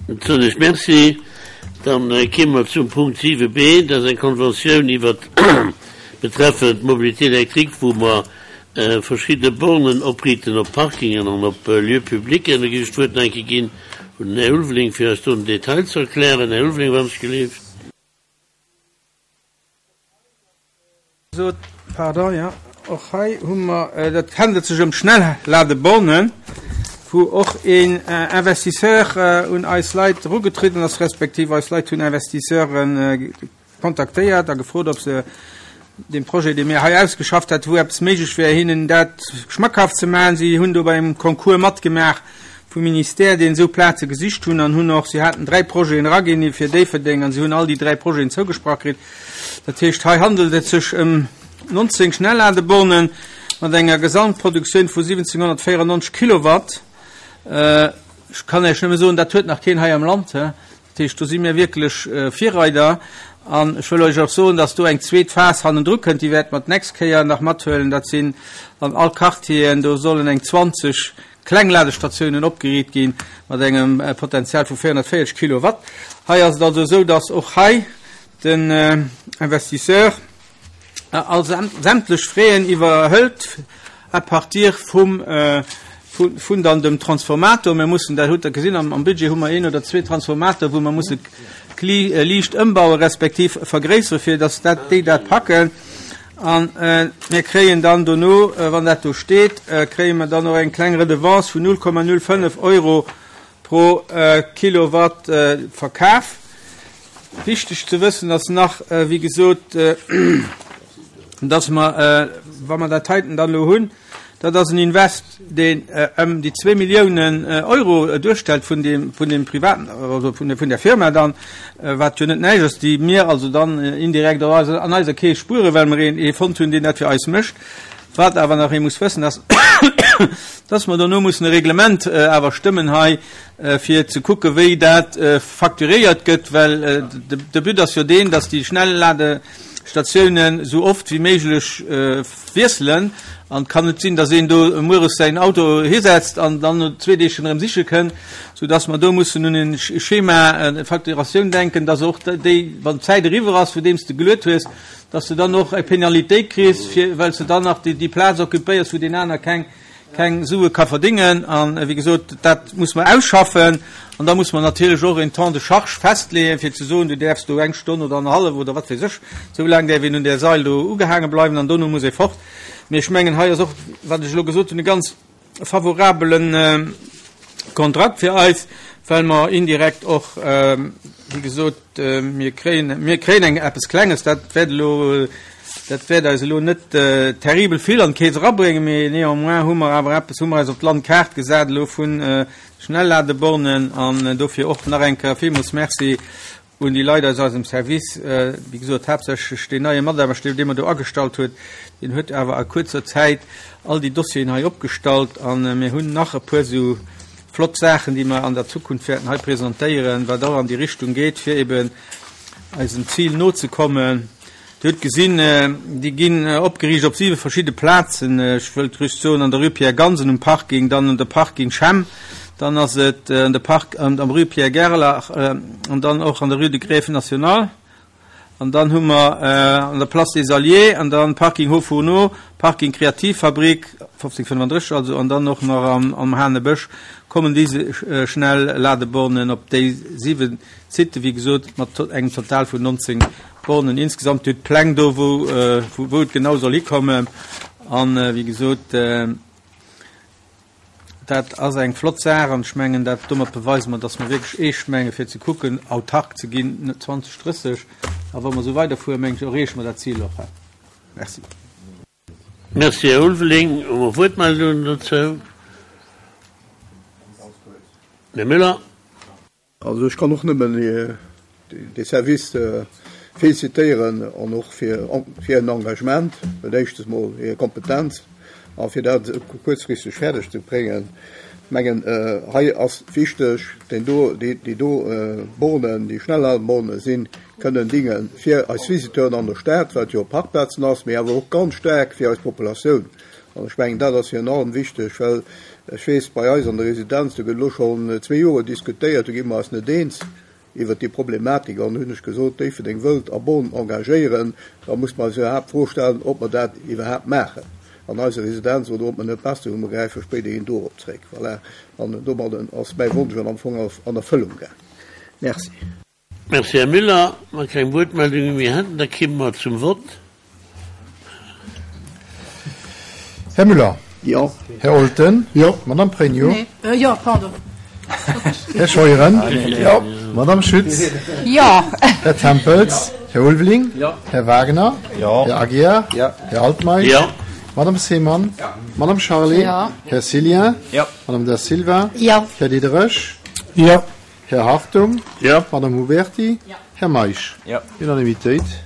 Soen ech Merci. Dann kéime mer zum Punkt 7b, dat ass eng Konventioun iwwert betreffend d'Mobilité électrique, wou mer verschidde Bornen opriiten op Parkingen an op Lieux publics. Da géif ech d'Wuert nach eng Kéier ginn un den Här Ulveling, fir eis do den Detail ze erklären. Här Ulveling, wann ech gelift. Sot, pardon, jo, och hei hu mer, dat handelt sech ëm Schnellladebornen, wou och een Investisseur un eis Leit erugetriden ass, respektiv eis Leit hunn Investisseure kontaktéiert a gefrot, ob se deem Projet, dee mir hei ausgeschafft hätten, wou eppes méiglech wär, hinnen dat schmackhaft ze maachen. Si hunn do bei engem Concours matgemaach vum Ministère, deen esou Plaze gesicht hunn an hunn och, si haten 3 Projeten eraginn fir Déifferdeng an si hunn all déi 3 Projeten zougesprach kritt. Dat heescht, hei handelt et sech ëm 19 Schnellladebornen mat enger Gesamtproduktioun vu 1794 Kilowatt. Ech kann Iech nëmme soen, dat huet nach keen hei am Land. Dat heescht, do si mir wierklech Virreider. An ech wëll Iech och soen, dass do eng zweet Phas hannendru kënnt, déi wäerte mer d'nächst Kéier nach mathuelen. Dat sinn an all Quartieren, do sollen eng 20 kleng Ladestatiounen opgeriit gi mat engem Potenzial vu 440 Kilowatt. Hei ass et also esou, dass och hei den Investisseur all sämtlech Fräen iwwerhëlt à partir vum vun dann dem Transformator. Mir mussen, dat hutt Der gesinn, am Budget hu mer een oder zwee Transformator, wou mer musse liicht ëmbaue respektiv vergréissere fir dass dat déi dat packen. A mir kréien dann dono, wann dat do steet, kréie mer dann och eng kleng Redevance vun 0,05 Euro pro Kilowatt verkaf. Wichteg ze wëssen ass nach, wéi gesot, dass mer, wa mer dat heiten dann elo hunn, dat ass en Invest, deen ëm déi zwéi Milliounen Euro duerstellt vun deem, vun deem privaten, also vun der, vun der Firma dann, wat jo net näischt ass, déi mir also dann indirekt och an eiser Keess spueren, well mer een ee fonnt hunn, deen dat fir eis mécht. Wat awer nach ee muss wëssen, ass, dass mer dono mussen e Reglement awer stëmmen hei, fir ze kucke wéi dat facturéiert gëtt, well de But ass jo deen, dass déi Schnellladestatiounen esou oft wéi méiglech wiesselen. An et kann net sinn, dass een do mueres säin Auto hisetzt an dann no zwee Deeg schonn erëm siche kënn, soudass mer do mussen un e Schema, eng Facturatioun denken, dass och déi, wann d'Zäit eriwwer ass, vun deem s de geluet hues, dass de dann och eng Penalitéit kriss, fir, well s de dann nach déi Plaz occupéiers, wou deen aner keng keng Sue ka verdéngen. An, wéi gesot, dat muss mer ausschaffen. An da muss mer natierlech och en Temps de charge festleeën, fir ze soen, du däerfs do eng Stonn oder annerhallef oder wat weess ech, esou laang däerf een un där Sail do ugehaange bleiwen an dono muss ee fort. Mee ech mengen, hei ass och, wat ech elo gesot hunn, e ganz favorabele Kontrakt fir eis, well mer indirekt och, wéi gesot, mir kréien, mir kréien eng eppes Klenges, dat wäert elo, dat wäert eis elo net terribel vill an d'Keess erabréngen, mee néanmoins hu mer awer eppes, hu mer eis op d'Landkaart gesat elo vu Schnellladebornen an dofir och nach eng Kéier villmools Merci un déi Leit aus eisem Service, wéi gesot haaptsächlech deen neie Mataarbechter, dee mer do agestallt huet, deen huet awer a kuerzer Zäit all déi Dossieren hei opgestallt a mir hunn nach e puer esou flott Saachen, déi mer an der Zukunft wäerten hei presentéieren, wat och an déi Richtung geet, fir eben eisem Zil nozekommen. Dir hutt gesinn, déi ginn opgeriicht op siwe verschidde Plazen. Ech wëllt just soen, an der Rue Pierre Gansen um Parking, dann un der Parking Schemm, dann ass et an der Park, an der Rue Pierre Gerlach an dann och an der Rue de Grève National an dann hu mer an der Place des Alliés an dann Parking Hauts Fourneaux, Parking Kreativfabrik, 1535 also, an dann och nach am Hanebësch kommen déi Schnellladebornen op déi siwe Siten, wéi gesot, mat engem Total vun 19 Bornen insgesamt. Dir hutt d'Pläng do, wou, wou et genau soll hikommen. An, wéi gesot, dat ass eng flott Saach an ech mengen, dat, domat beweise mer, dass mer wierklech eescht menge fir ze kucken, autark ze ginn 2030. A wa mer esou weiderfueren, mengen ech, erreeche mer dat Zil och. Merci. Merci, Här Ulveling. Hu mer Wuertmeldungen dozou? Här Müller. Also ech kann och nëmmen de Service félicitéieren an och fir hiren Engagement, dat éischtes mol hir Kompetenz a fir dat esou kuerzfristeg fäerdeg ze bréngen. Ech mengen hei ass wichteg, deen do, déi do Bornen, déi Schnellladeborne sinn, kënnen dinge fir eis Visiteuren an der Stad, wat jo Parkplazen ass, mee awer och ganz staark fir eis Populatioun. An ech mengen, dat ass virun allem wichteg, well ech weess, bei eis an der Residenz, do gëtt elo schonn zwee Jore diskutéiert, do gi mer eis net eens iwwert déi Problematik. An hunn ech gesot, Déifferdeng wëllt a Bonn engagéieren, da muss mer eis iwwerhaapt d'Fro stellen, ob mer dat iwwerhaapt maachen an eiser Residenz oder ob mer net besser hu, mer gräife spéiderhin dorop zréck. Voilà. An domadden ass mäi Wonsch an am Fong an Erfëllung gaang. Merci. Merci, Här Müller. Wa keng Wuertmeldunge méi hätten, da kimme mer zum Vott. Här Müller. Jo. Här Olten. Jo. Madame Pregno. Nee. Jo, pardon. Här Scheuren. Jo. Madame Schütz. Jo. Här Tempels. Här Ulveling. Jo. Här Wagner. Jo. Här Aguiar. Jo. Här Altmeisch. Jo. Madame Seemann. Jo. Madame Charlé. Jo. Här Cillien. Jo. Madame Da Silva. Jo. Här Diderich. Jo. Här Hartung. Jo. Madame Huberti. Jo. Här Meisch. Jo. Unanimitéit.